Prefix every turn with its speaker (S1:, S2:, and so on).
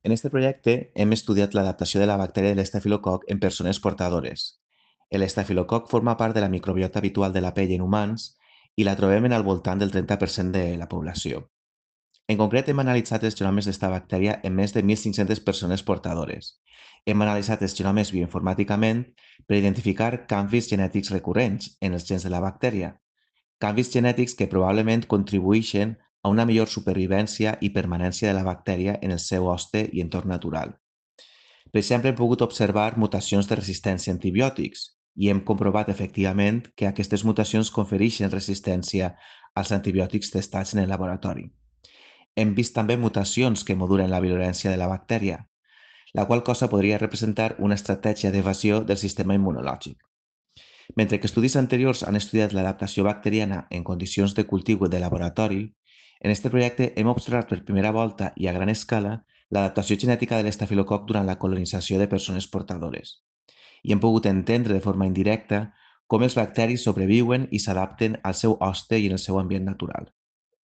S1: En este projecte hem estudiat l'adaptació de la bactèria de l'estafilococ en persones portadores. L'estafilococ forma part de la microbiota habitual de la pell en humans i la trobem en al voltant del 30% de la població. En concret, hem analitzat els genomes d'esta bactèria en més de 1.500 persones portadores. Hem analitzat els genomes bioinformàticament per identificar canvis genètics recurrents en els gens de la bactèria, canvis genètics que probablement contribueixen a una millor supervivència i permanència de la bactèria en el seu hoste i entorn natural. Per exemple, hem pogut observar mutacions de resistència a antibiòtics i hem comprovat efectivament que aquestes mutacions confereixen resistència als antibiòtics testats en el laboratori. Hem vist també mutacions que modulen la virulència de la bactèria, la qual cosa podria representar una estratègia d'evasió del sistema immunològic. Mentre que estudis anteriors han estudiat l'adaptació bacteriana en condicions de cultiu de laboratori, en aquest projecte hem observat per primera volta i a gran escala l'adaptació genètica de l'estafilococ durant la colonització de persones portadores. I hem pogut entendre de forma indirecta com els bacteris sobreviuen i s'adapten al seu hoste i en el seu ambient natural.